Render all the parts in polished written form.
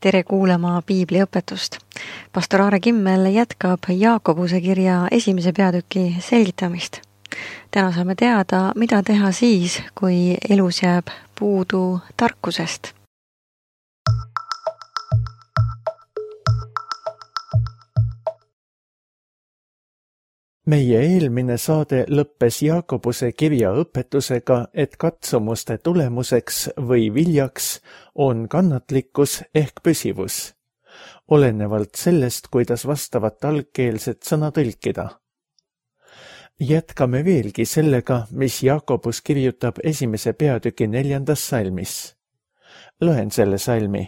Tere kuulama piibliõpetust. Pastor Aare Kimmel jätkab Jaakobuse kirja 1. peatüki selgitamist. Täna saame teada, mida teha siis, kui elus jääb puudu tarkusest. Meie eelmine saade lõppes Jaakobuse kirja õpetusega, et katsumuste tulemuseks või viljaks on kannatlikkus ehk püsivus, olenevalt sellest, kuidas vastavat algkeelset sõna tõlkida. Jätkame veelgi sellega, mis Jaakobus kirjutab 1. peatüki 4. salmis. Loen selle salmi.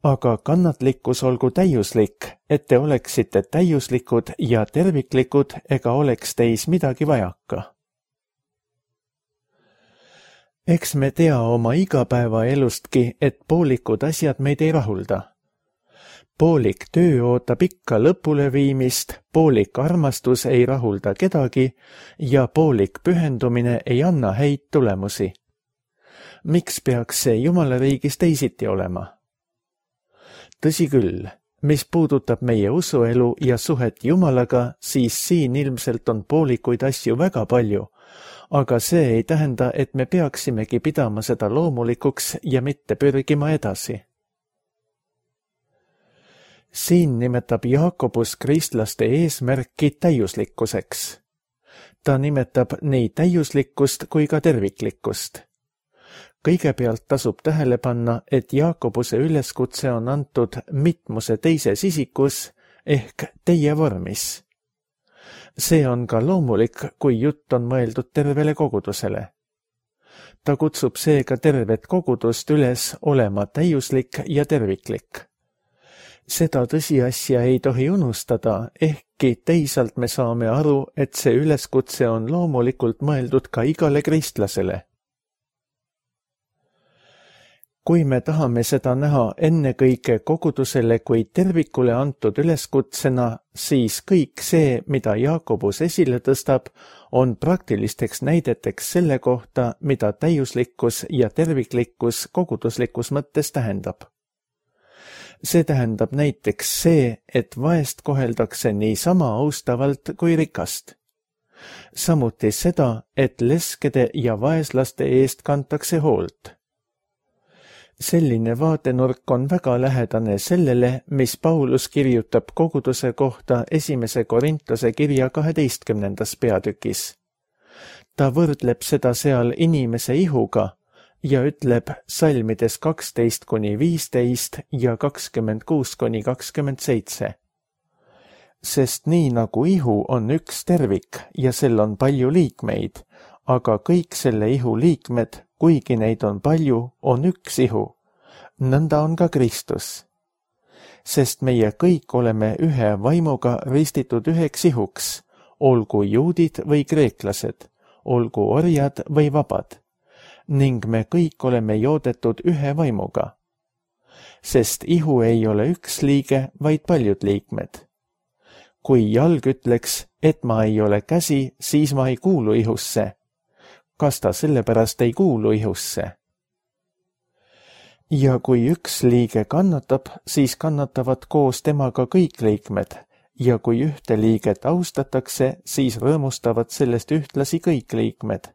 Aga kannatlikkus olgu täiuslik, et te oleksite täiuslikud ja terviklikud ega oleks teis midagi vajaka. Eks me tea oma igapäevaelustki, et poolikud asjad meid ei rahulda. Poolik töö ootab ikka lõpule viimist, poolik armastus ei rahulda kedagi ja poolik pühendumine ei anna häid tulemusi. Miks peaks see Jumala riigis teisiti olema? Tõsi küll, mis puudutab meie usuelu ja suhet Jumalaga, siis siin ilmselt on poolikuid asju väga palju, aga see ei tähenda, et me peaksimegi pidama seda loomulikuks ja mitte pürgima edasi. Siin nimetab Jaakobus kristlaste eesmärki täiuslikkuseks. Ta nimetab nii täiuslikkust kui ka terviklikkust. Kõigepealt tasub tähele panna, et Jaakobuse üleskutse on antud mitmuse teises isikus ehk teie vormis. See on ka loomulik, kui jutt on mõeldud tervele kogudusele. Ta kutsub seega tervet kogudust üles olema täiuslik ja terviklik. Seda tõsiasja ei tohi unustada, ehkki teisalt me saame aru, et see üleskutse on loomulikult mõeldud ka igale kristlasele. Kui me tahame seda näha ennekõike kogudusele kui tervikule antud üleskutsena, siis kõik see, mida Jaakobus esile tõstab, on praktilisteks näideteks selle kohta, mida täiuslikkus ja terviklikkus koguduslikus mõttes tähendab. See tähendab näiteks see, et vaest koheldakse nii sama austavalt kui rikast. Samuti seda, et leskede ja vaeslaste eest kantakse hoolt. Selline vaatenurk on väga lähedane sellele, mis Paulus kirjutab koguduse kohta 1. Korintuse kirja 12. peatükis. Ta võrdleb seda seal inimese ihuga ja ütleb salmides 12-15 ja 26-27. Sest nii nagu ihu on üks tervik ja sel on palju liikmeid, aga kõik selle ihu liikmed, kuigi neid on palju, on üks ihu. Nõnda on ka Kristus. Sest meie kõik oleme ühe vaimuga ristitud üheks ihuks, olgu juudid või kreeklased, olgu orjad või vabad, ning me kõik oleme joodetud ühe vaimuga. Sest ihu ei ole üks liige, vaid paljud liikmed. Kui jalg ütleks, et ma ei ole käsi, siis ma ei kuulu ihusse. Kas ta sellepärast ei kuulu ihusse? Ja kui üks liige kannatab, siis kannatavad koos temaga kõik liikmed, ja kui ühte liiget austatakse, siis rõõmustavad sellest ühtlasi kõik liikmed.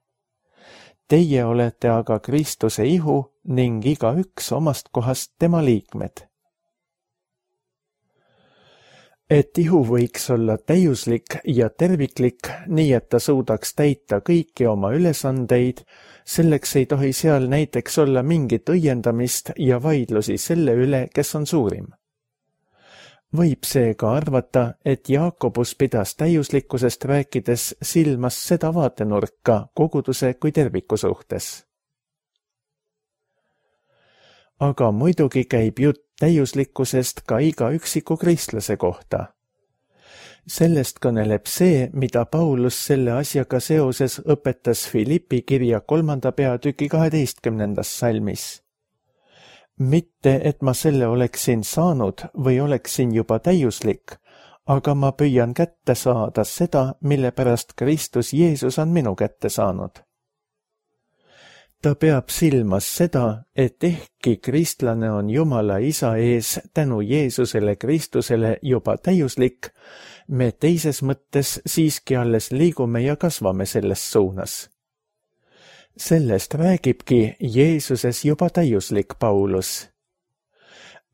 Teie olete aga Kristuse ihu ning igaüks omast kohast tema liikmed. Et ihu võiks olla täiuslik ja terviklik, nii et ta suudaks täita kõiki oma ülesandeid, selleks ei tohi seal näiteks olla mingit õiendamist ja vaidlusi selle üle, kes on suurim. Võib seega arvata, et Jaakobus pidas täiuslikkusest rääkides silmas seda vaatenurka koguduse kui terviku suhtes. Aga muidugi käib jutt täiuslikkusest ka iga üksiku kristlase kohta. Sellest kõneleb see, mida Paulus selle asjaga seoses õpetas Filippi kirja 3. peatüki 12. salmis. Mitte, et ma selle oleksin saanud või oleksin juba täiuslik, aga ma püüan kätte saada seda, mille pärast Kristus Jeesus on minu kätte saanud. Ta peab silmas seda, et ehkki kristlane on Jumala Isa ees tänu Jeesusele Kristusele juba täiuslik, me teises mõttes siiski alles liigume ja kasvame selles suunas. Sellest räägibki Jeesuses juba täiuslik Paulus.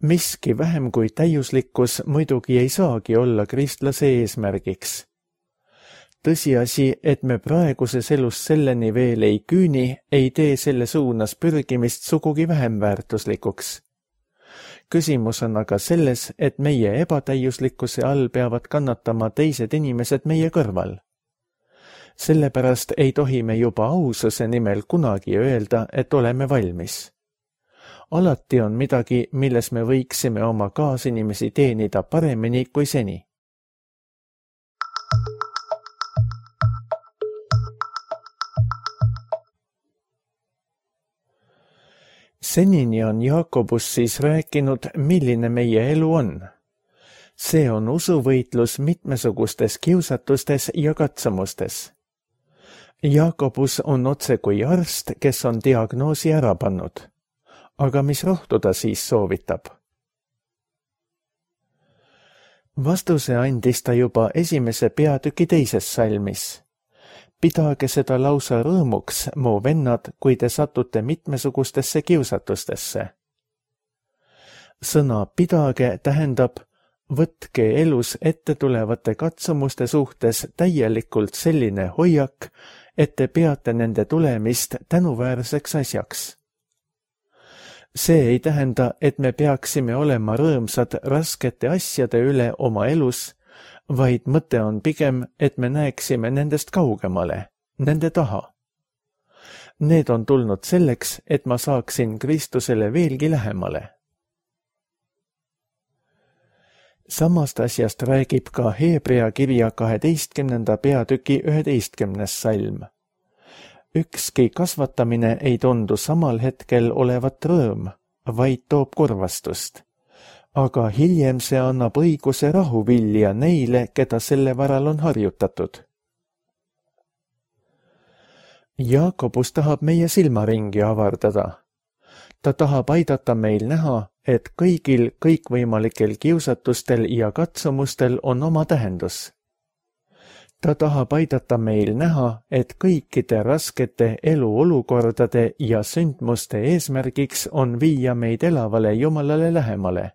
Miski vähem kui täiuslikkus muidugi ei saagi olla kristlase eesmärgiks. Tõsiasi, et me praeguses elus selleni veel ei küüni, ei tee selle suunas pürgimist sugugi vähem väärtuslikuks. Küsimus on aga selles, et meie ebatäiuslikkuse all peavad kannatama teised inimesed meie kõrval. Sellepärast ei tohi me juba aususe nimel kunagi öelda, et oleme valmis. Alati on midagi, milles me võiksime oma kaasinimesi teenida paremini kui seni. Senini on Jaakobus siis rääkinud, milline meie elu on. See on usuvõitlus mitmesugustes kiusatustes ja katsumustes. Jaakobus on otse kui arst, kes on diagnoosi ära pannud. Aga mis rohtu ta siis soovitab? Vastuse andis ta juba esimese peatüki teises salmis. Pidage seda lausa rõõmuks, mu vennad, kui te satute mitmesugustesse kiusatustesse. Sõna pidage tähendab, võtke elus ette tulevate katsumuste suhtes täielikult selline hoiak, et te peate nende tulemist tänuväärseks asjaks. See ei tähenda, et me peaksime olema rõõmsad raskete asjade üle oma elus, vaid mõte on pigem, et me näeksime nendest kaugemale, nende taha. Need on tulnud selleks, et ma saaksin Kristusele veelgi lähemale. Samast asjast räägib ka Hebrea kirja 12. peatüki 11. salm. Ükski kasvatamine ei tundu samal hetkel olevat rõõm, vaid toob kurvastust. Aga hiljem see annab õiguse rahuvilja neile, keda selle varal on harjutatud. Jaakobus tahab meie silmaringi avardada. Ta tahab aidata meil näha, et kõigil kõikvõimalikel kiusatustel ja katsumustel on oma tähendus. Ta tahab aidata meil näha, et kõikide raskete eluolukordade ja sündmuste eesmärgiks on viia meid elavale Jumalale lähemale.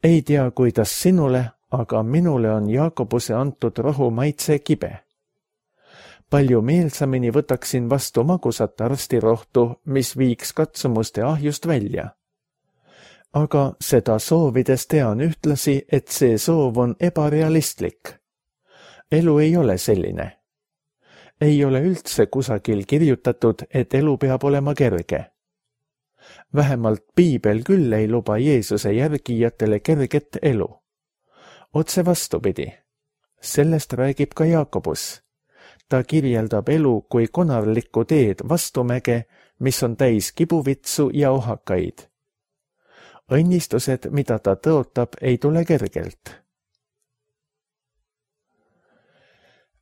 Ei tea, kuidas sinule, aga minule on Jaakobuse antud rohu maitse kibe. Palju meelsamini võtaksin vastu magusat arstirohtu, mis viiks katsumuste ahjust välja. Aga seda soovides tean ühtlasi, et see soov on ebarealistlik. Elu ei ole selline. Ei ole üldse kusagil kirjutatud, et elu peab olema kerge. Vähemalt Piibel küll ei luba Jeesuse järgijatele kerget elu. Otse vastupidi. Sellest räägib ka Jaakobus. Ta kirjeldab elu kui konarlikku teed vastumäge, mis on täis kibuvitsu ja ohakaid. Õnnistused, mida ta tõotab, ei tule kergelt.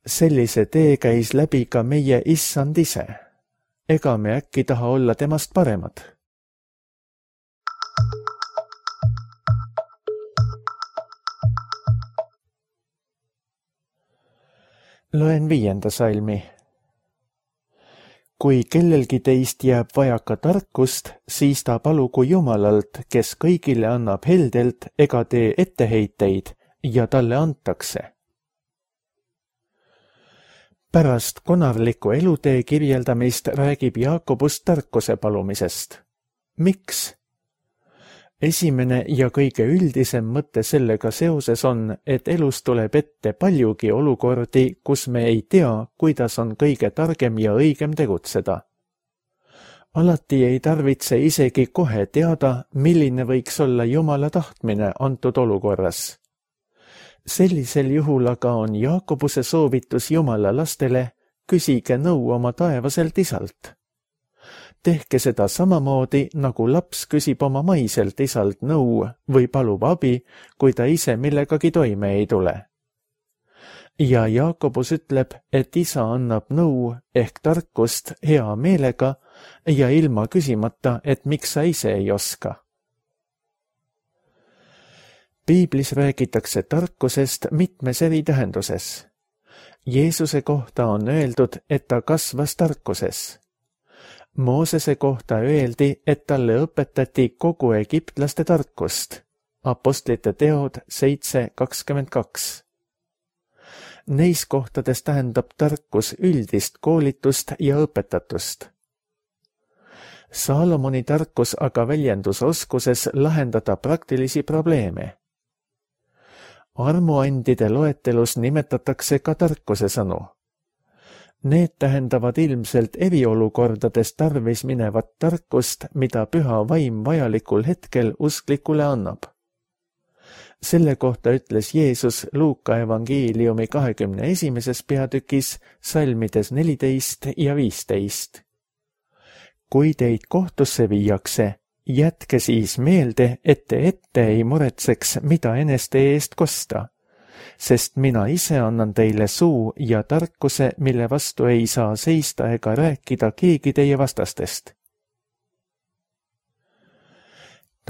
Sellise tee käis läbi ka meie issand ise. Ega me äkki taha olla temast paremad? Loen 5. salmi. Kui kellelgi teist jääb vajaka tarkust, siis ta palugu Jumalalt, kes kõigile annab heldelt ega tee etteheiteid ja talle antakse. Pärast konarliku elutee kirjeldamist räägib Jaakobus tarkuse palumisest. Miks? Esimene ja kõige üldisem mõte sellega seoses on, et elus tuleb ette paljugi olukordi, kus me ei tea, kuidas on kõige targem ja õigem tegutseda. Alati ei tarvitse isegi kohe teada, milline võiks olla Jumala tahtmine antud olukorras. Sellisel juhul aga on Jaakobuse soovitus Jumala lastele, küsige nõu oma taevaselt isalt. Tehke seda samamoodi, nagu laps küsib oma maiselt isalt nõu või palub abi, kui ta ise millegagi toime ei tule. ja Jaakobus ütleb, et isa annab nõu ehk tarkust hea meelega ja ilma küsimata, et miks sa ise ei oska. Piiblis räägitakse tarkusest mitmes eri tähenduses. Jeesuse kohta on öeldud, et ta kasvas tarkuses. Moosese kohta öeldi, et talle õpetati kogu egiptlaste tarkust. Apostlite teod 7:22. Neis kohtades tähendab tarkus üldist koolitust ja õpetatust. Saalomoni tarkus aga väljendus oskuses lahendada praktilisi probleeme. Armuandide loetelus nimetatakse ka tarkuse sõnu. Need tähendavad ilmselt eriolukordades tarvis minevat tarkust, mida püha vaim vajalikul hetkel usklikule annab. Selle kohta ütles Jeesus Luuka evangeeliumi 21. peatükis salmides 14 ja 15. Kui teid kohtusse viiakse, jätke siis meelde, et te ette ei muretseks, mida eneste eest kosta, sest mina ise annan teile suu ja tarkuse, mille vastu ei saa seista ega rääkida keegi teie vastastest.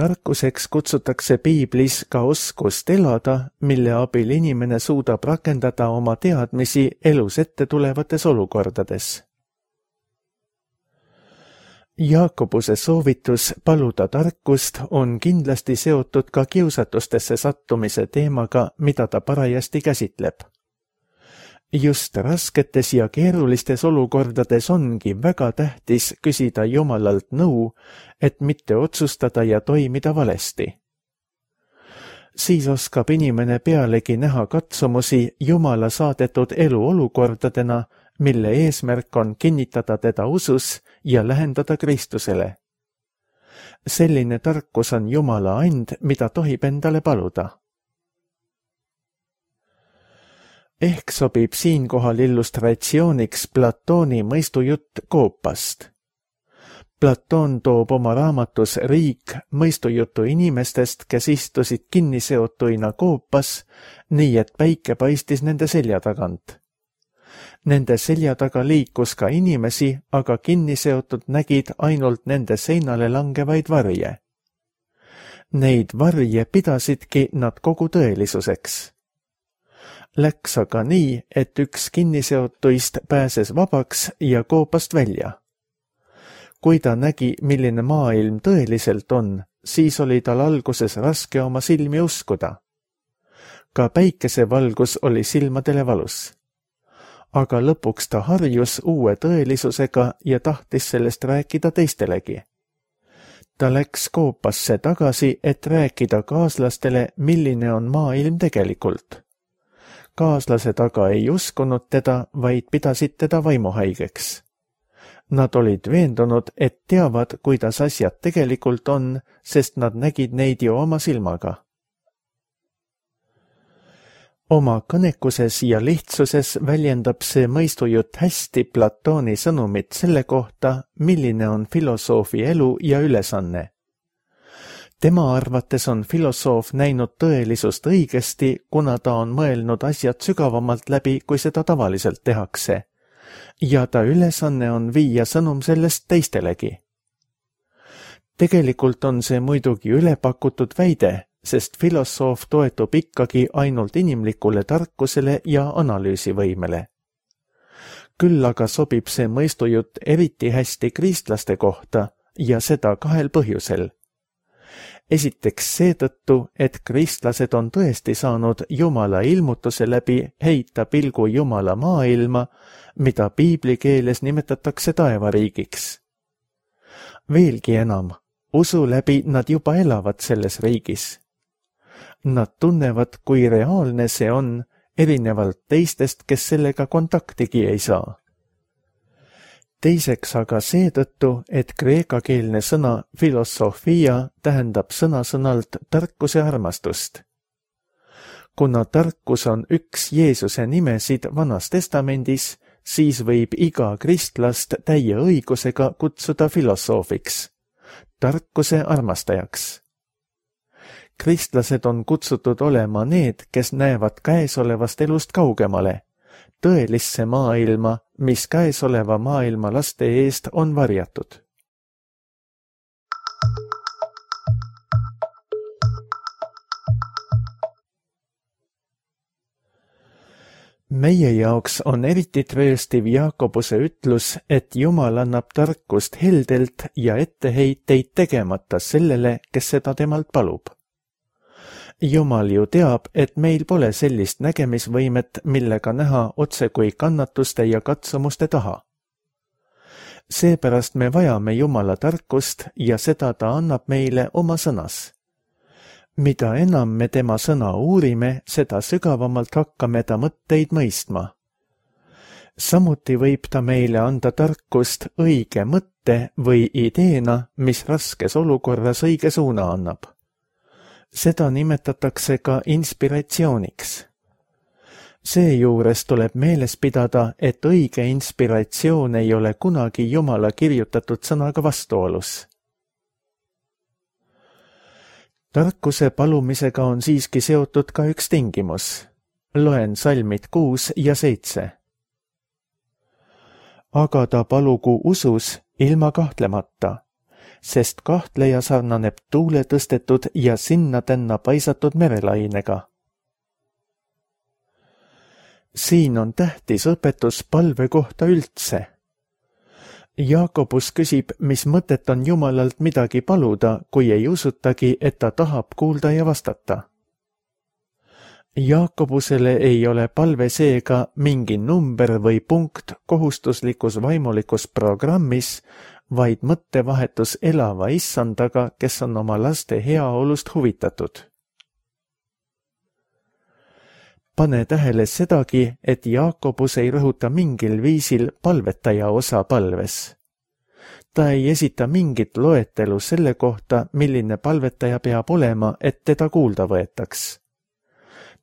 Tarkuseks kutsutakse Piiblis ka oskust elada, mille abil inimene suudab rakendada oma teadmisi elus ette tulevates olukordades. Jaakobuse soovitus paluda tarkust on kindlasti seotud ka kiusatustesse sattumise teemaga, mida ta parajasti käsitleb. Just rasketes ja keerulistes olukordades ongi väga tähtis küsida Jumalalt nõu, et mitte otsustada ja toimida valesti. Siis oskab inimene pealegi näha katsumusi Jumala saadetud eluolukordadena, mille eesmärk on kinnitada teda usus ja lähendada Kristusele. Selline tarkus on Jumala and, mida tohib endale paluda. Ehk sobib siinkohal illustratsiooniks Platoni mõistujutt koopast. Platon toob oma raamatus Riik mõistujutu inimestest, kes istusid kinniseotuina koopas, nii et päike paistis nende selja tagant. Nende selja taga liikus ka inimesi, aga kinniseotud nägid ainult nende seinale langevaid varje. Neid varje pidasidki nad kogu tõelisuseks. Läks aga nii, et üks kinniseotuist pääses vabaks ja koopast välja. Kui ta nägi, milline maailm tõeliselt on, siis oli tal alguses raske oma silmi uskuda. Ka päikesevalgus oli silmadele valus. Aga lõpuks ta harjus uue tõelisusega ja tahtis sellest rääkida teistelegi. Ta läks koopasse tagasi, et rääkida kaaslastele, milline on maailm tegelikult. Kaaslased aga ei uskunud teda, vaid pidasid teda vaimuhaigeks. Nad olid veendunud, et teavad, kuidas asjad tegelikult on, sest nad nägid neid ju oma silmaga. Oma kõnekuses ja lihtsuses väljendab see mõistujutt hästi Platoni sõnumit selle kohta, milline on filosoofi elu ja ülesanne. Tema arvates on filosoof näinud tõelisust õigesti, kuna ta on mõelnud asjad sügavamalt läbi, kui seda tavaliselt tehakse. Ja ta ülesanne on viia sõnum sellest teistelegi. Tegelikult on see muidugi ülepakutud väide, sest filosoof toetub ikkagi ainult inimlikule tarkusele ja analüüsivõimele. Küll aga sobib see mõistujutt eriti hästi kristlaste kohta ja seda kahel põhjusel. Esiteks seetõttu, et kristlased on tõesti saanud Jumala ilmutuse läbi heita pilgu Jumala maailma, mida piibli keeles nimetatakse taevariigiks. Veelgi enam, usu läbi nad juba elavad selles riigis. Nad tunnevad, kui reaalne see on, erinevalt teistest, kes sellega kontaktigi ei saa. Teiseks aga seetõttu, et kreekakeelne sõna filosofia tähendab sõna-sõnalt tarkuse armastust. Kuna tarkus on üks Jeesuse nimesid Vanas Testamendis, siis võib iga kristlast täie õigusega kutsuda filosoofiks, tarkuse armastajaks. Kristlased on kutsutud olema need, kes näevad käesolevast elust kaugemale, tõelisse maailma, mis käesoleva maailma laste eest on varjatud. Meie jaoks on eriti trööstiv Jaakobuse ütlus, et Jumal annab tarkust heldelt ja etteheiteid tegemata sellele, kes seda temalt palub. Jumal ju teab, et meil pole sellist nägemisvõimet, millega näha otsekui kannatuste ja katsumuste taha. Seepärast me vajame Jumala tarkust ja seda ta annab meile oma sõnas. Mida enam me tema sõna uurime, seda sügavamalt hakkame ta mõtteid mõistma. Samuti võib ta meile anda tarkust õige mõtte või ideena, mis raskes olukorras õige suuna annab. Seda nimetatakse ka inspiratsiooniks. Seejuures tuleb meeles pidada, et õige inspiratsioon ei ole kunagi Jumala kirjutatud sõnaga vastuolus. Tarkuse palumisega on siiski seotud ka üks tingimus. Loen salmid 6 ja 7. Aga ta palugu usus ilma kahtlemata, sest kahtleja sarnaneb tuule tõstetud ja sinna tänna paisatud merelainega. Siin on tähtis õpetus palve kohta üldse. Jaakobus küsib, mis mõtet on Jumalalt midagi paluda, kui ei usutagi, et ta tahab kuulda ja vastata. Jaakobusele ei ole palve seega mingi number või punkt kohustuslikus vaimulikus programmis, vaid mõttevahetus elava issandaga, kes on oma laste heaolust huvitatud. Pane tähele sedagi, et Jaakobus ei rõhuta mingil viisil palvetaja osa palves. Ta ei esita mingit loetelu selle kohta, milline palvetaja peab olema, et teda kuulda võetaks.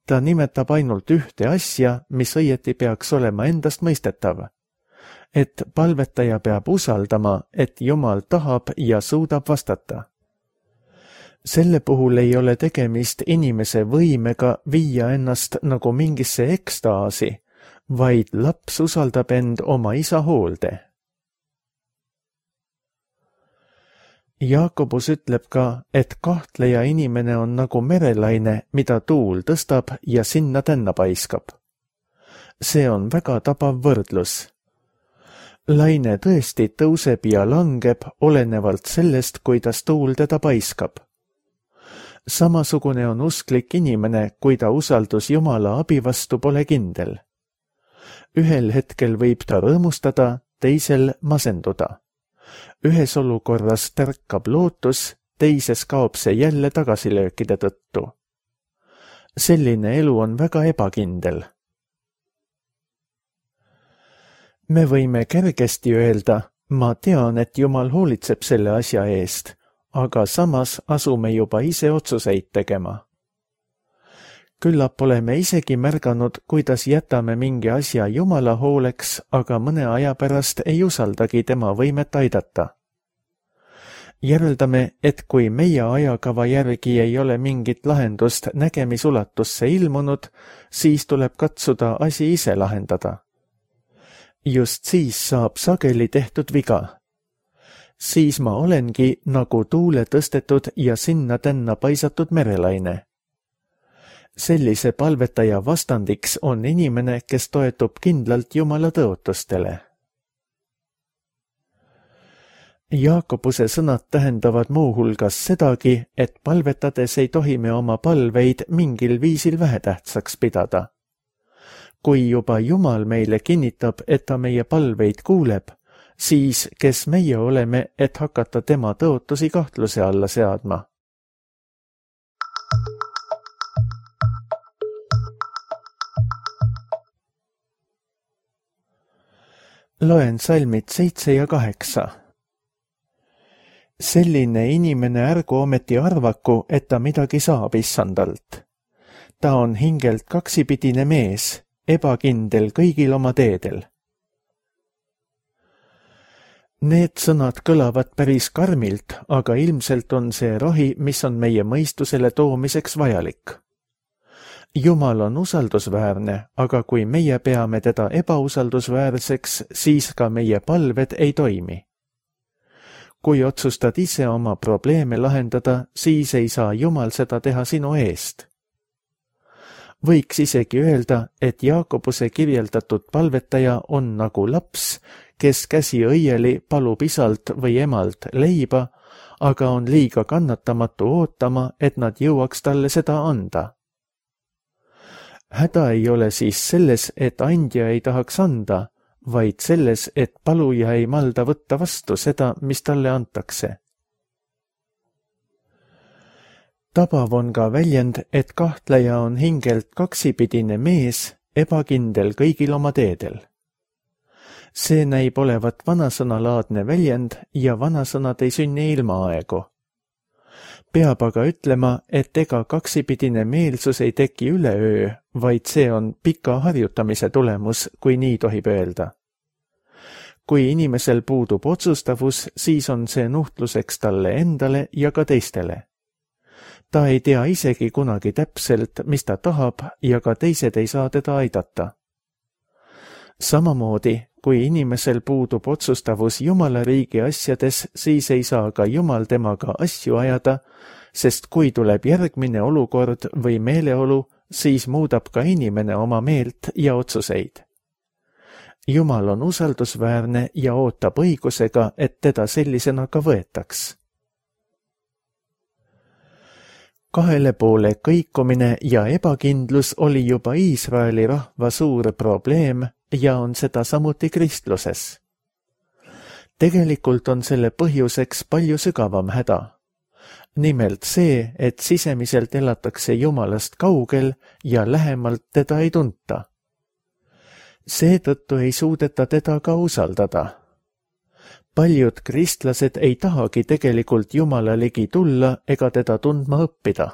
Ta nimetab ainult ühte asja, mis õieti peaks olema endast mõistetav. Et palvetaja peab usaldama, et Jumal tahab ja suudab vastata. Selle puhul ei ole tegemist inimese võimega viia ennast nagu mingisse ekstaasi, vaid laps usaldab end oma isa hoolde. Jaakobus ütleb ka, et kahtleja inimene on nagu merelaine, mida tuul tõstab ja sinna tänna paiskab. See on väga tabav võrdlus. Laine tõesti tõuseb ja langeb olenevalt sellest, kuidas tuul teda paiskab. Samasugune on usklik inimene, kui ta usaldus Jumala abi vastu pole kindel. Ühel hetkel võib ta rõõmustada, teisel masenduda. Ühes olukorras tärkab lootus, teises kaob see jälle tagasilöökide tõttu. Selline elu on väga ebakindel. Me võime kergesti öelda, ma tean, et Jumal hoolitseb selle asja eest, aga samas asume juba ise otsuseid tegema. Küllap oleme isegi märganud, kuidas jätame mingi asja Jumala hooleks, aga mõne aja pärast ei usaldagi tema võimet aidata. Järeldame, et kui meie ajakava järgi ei ole mingit lahendust nägemisulatusse ilmunud, siis tuleb katsuda asi ise lahendada. Just siis saab sageli tehtud viga. Siis ma olengi nagu tuule tõstetud ja sinna tänna paisatud merelaine. Sellise palvetaja vastandiks on inimene, kes toetub kindlalt Jumala tõotustele. Jaakobuse sõnad tähendavad muuhulgas sedagi, et palvetades ei tohi me oma palveid mingil viisil vähetähtsaks pidada. Kui juba Jumal meile kinnitab, et ta meie palveid kuuleb, siis kes meie oleme, et hakata tema tõotusi kahtluse alla seadma? Loen salmid 7 ja 8. Selline inimene ärgu ometi arvaku, et ta midagi saab issandalt. Ta on hingelt kaksipidine mees, ebakindel kõigil oma teedel. Need sõnad kõlavad päris karmilt, aga ilmselt on see rohi, mis on meie mõistusele toomiseks vajalik. Jumal on usaldusväärne, aga kui meie peame teda ebausaldusväärseks, siis ka meie palved ei toimi. Kui otsustad ise oma probleeme lahendada, siis ei saa Jumal seda teha sinu eest. Võiks isegi öelda, et Jaakobuse kirjeldatud palvetaja on nagu laps, kes käsi õieli palub isalt või emalt leiba, aga on liiga kannatamatu ootama, et nad jõuaks talle seda anda. Häda ei ole siis selles, et andja ei tahaks anda, vaid selles, et paluja ei malda võtta vastu seda, mis talle antakse. Tabav on ka väljend, et kahtleja on hingelt kaksipidine mees, ebakindel kõigil oma teedel. See näib olevat vanasõnalaadne väljend ja vanasõnad ei sünni ilmaaegu. Peab aga ütlema, et ega kaksipidine meelsus ei teki üleöö, vaid see on pika harjutamise tulemus, kui nii tohib öelda. Kui inimesel puudub otsustavus, siis on see nuhtluseks talle endale ja ka teistele. Ta ei tea isegi kunagi täpselt, mis ta tahab ja ka teised ei saa teda aidata. Samamoodi, kui inimesel puudub otsustavus Jumala riigi asjades, siis ei saa ka Jumal temaga asju ajada, sest kui tuleb järgmine olukord või meeleolu, siis muudab ka inimene oma meelt ja otsuseid. Jumal on usaldusväärne ja ootab õigusega, et teda sellisena ka võetaks. Kahele poole kõikumine ja ebakindlus oli juba Iisraeli rahva suur probleem ja on seda samuti kristluses. Tegelikult on selle põhjuseks palju sügavam häda. Nimelt see, et sisemiselt elatakse Jumalast kaugel ja lähemalt teda ei tunta. Seetõttu ei suudeta teda ka usaldada. Paljud kristlased ei tahagi tegelikult Jumala ligi tulla ega teda tundma õppida.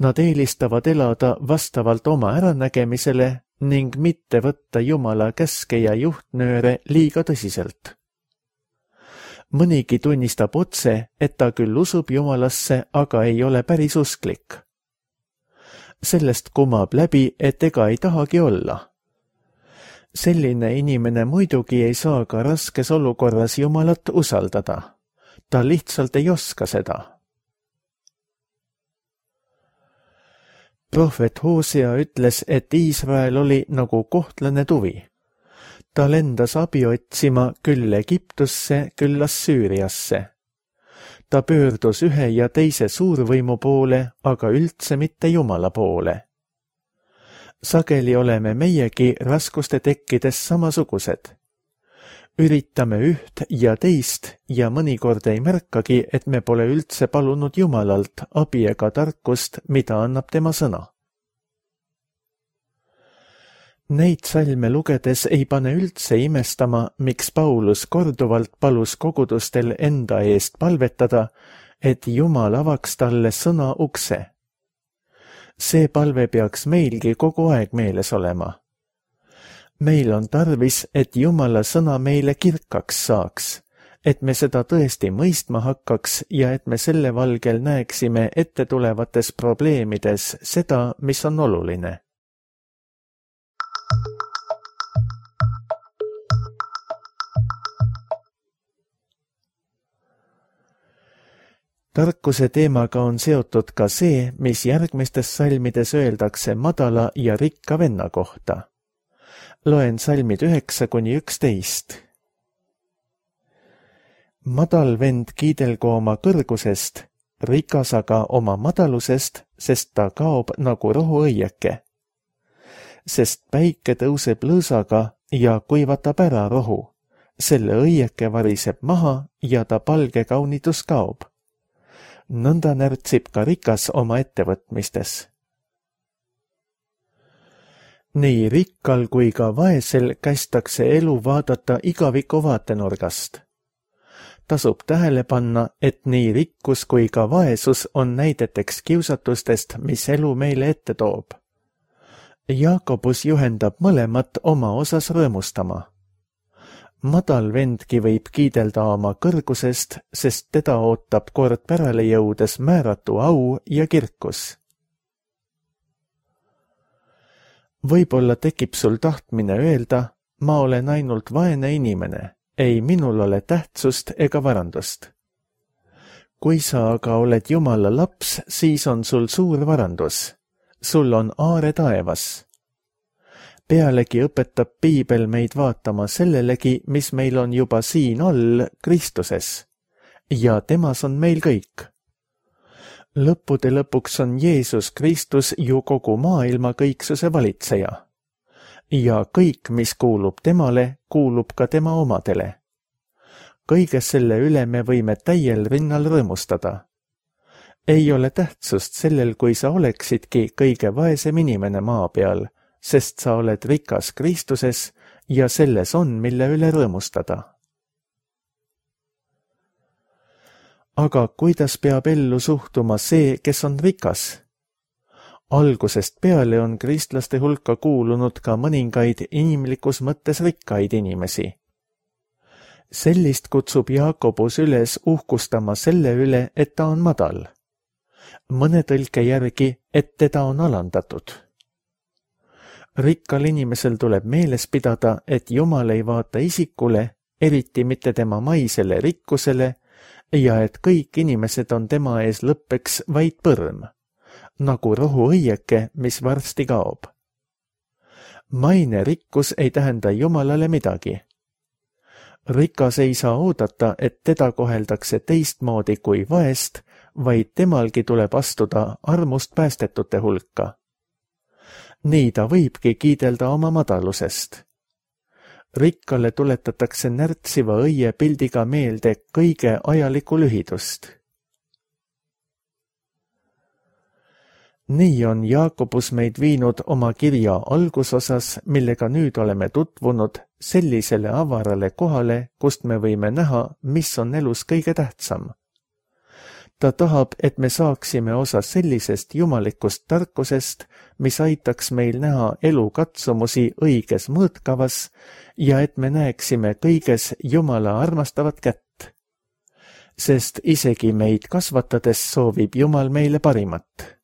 Nad eelistavad elada vastavalt oma äranägemisele ning mitte võtta Jumala käske ja juhtnööre liiga tõsiselt. Mõnigi tunnistab otse, et ta küll usub Jumalasse, aga ei ole päris usklik. Sellest kumab läbi, et ega ei tahagi olla. Selline inimene muidugi ei saa ka raskes olukorras Jumalat usaldada. Ta lihtsalt ei oska seda. Prohvet Hosea ütles, et Iisrael oli nagu kohtlane tuvi. Ta lendas abi otsima küll Egiptusse, küll Assüüriasse. Ta pöördus ühe ja teise suurvõimu poole, aga üldse mitte Jumala poole. Sageli oleme meiegi raskuste tekkides samasugused. Üritame üht ja teist ja mõnikord ei märkagi, et me pole üldse palunud Jumalalt abi ega tarkust, mida annab tema sõna. Neid salme lugedes ei pane üldse imestama, miks Paulus korduvalt palus kogudustel enda eest palvetada, et Jumal avaks talle sõna ukse. See palve peaks meilgi kogu aeg meeles olema. Meil on tarvis, et Jumala sõna meile kirkaks saaks, et me seda tõesti mõistma hakkaks ja et me selle valgel näeksime ette tulevates probleemides seda, mis on oluline. Tarkuse teemaga on seotud ka see, mis järgmistes salmides öeldakse madala ja rikka venna kohta. Loen salmid 9–11. Madal vend kiidelgu oma kõrgusest, rikas aga oma madalusest, sest ta kaob nagu rohuõieke. Sest päike tõuseb lõõsaga ja kuivatab ära rohu. Selle õieke variseb maha ja ta palge kaunitus kaob. Nõnda närtsib ka rikas oma ettevõtmistes. Nii rikkal kui ka vaesel kästakse elu vaadata igaviku vaatenurgast. Tasub tähele panna, et nii rikkus kui ka vaesus on näideteks kiusatustest, mis elu meile ette toob. Jaakobus juhendab mõlemat oma osas rõõmustama. madal vendki võib kiidelda oma kõrgusest, sest teda ootab kord pärale jõudes määratu au ja kirkus. Võib-olla tekib sul tahtmine öelda, ma olen ainult vaene inimene, ei minul ole tähtsust ega varandust. Kui sa aga oled Jumala laps, siis on sul suur varandus. Sul on aare taevas. Pealegi õpetab Piibel meid vaatama sellelegi, mis meil on juba siin all Kristuses. Ja temas on meil kõik. Lõppude lõpuks on Jeesus Kristus ju kogu maailma kõiksuse valitseja. Ja kõik, mis kuulub temale, kuulub ka tema omadele. Kõige selle üle me võime täiel rinnal rõõmustada. Ei ole tähtsust sellel, kui sa oleksidki kõige vaesem inimene maa peal, sest sa oled rikas Kristuses ja selles on, mille üle rõõmustada. Aga kuidas peab ellu suhtuma see, kes on rikas? Algusest peale on kristlaste hulka kuulunud ka mõningaid inimlikus mõttes rikkaid inimesi. Sellist kutsub Jaakobus üles uhkustama selle üle, et ta on madal. Mõne tõlke järgi, et teda on alandatud. Rikkal inimesel tuleb meeles pidada, et Jumal ei vaata isikule, eriti mitte tema maisele rikkusele, ja et kõik inimesed on tema ees lõppeks vaid põrm, nagu rohuõieke, mis varsti kaob. Maine rikkus ei tähenda Jumalale midagi. Rikas ei saa oodata, et teda koheldakse teistmoodi kui vaest, vaid temalgi tuleb astuda armust päästetute hulka. Nii ta võibki kiidelda oma madalusest. Rikkale tuletatakse närtsiva õie pildiga meelde kõige ajalikku lühidust. Nii on Jaakobus meid viinud oma kirja algusosas, millega nüüd oleme tutvunud, sellisele avarale kohale, kust me võime näha, mis on elus kõige tähtsam. Ta tahab, et me saaksime osa sellisest jumalikust tarkusest, mis aitaks meil näha elu katsumusi õiges mõõtkavas ja et me näeksime kõiges Jumala armastavat kätt. Sest isegi meid kasvatades soovib Jumal meile parimat.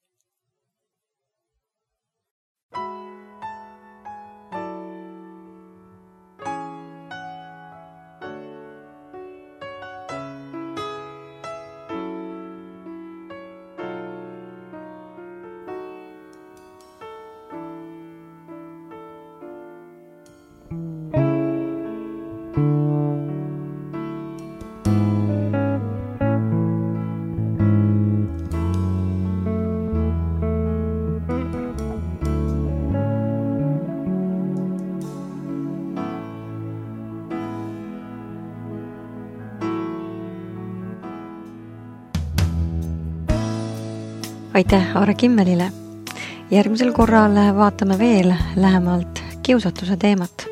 Aitäh Aare Kimmelile. Järgmisel korral vaatame veel lähemalt kiusatuse teemat.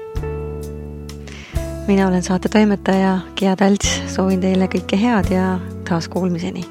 Mina olen saate toimetaja Gea Talts, soovin teile kõike head ja taas kuulmiseni.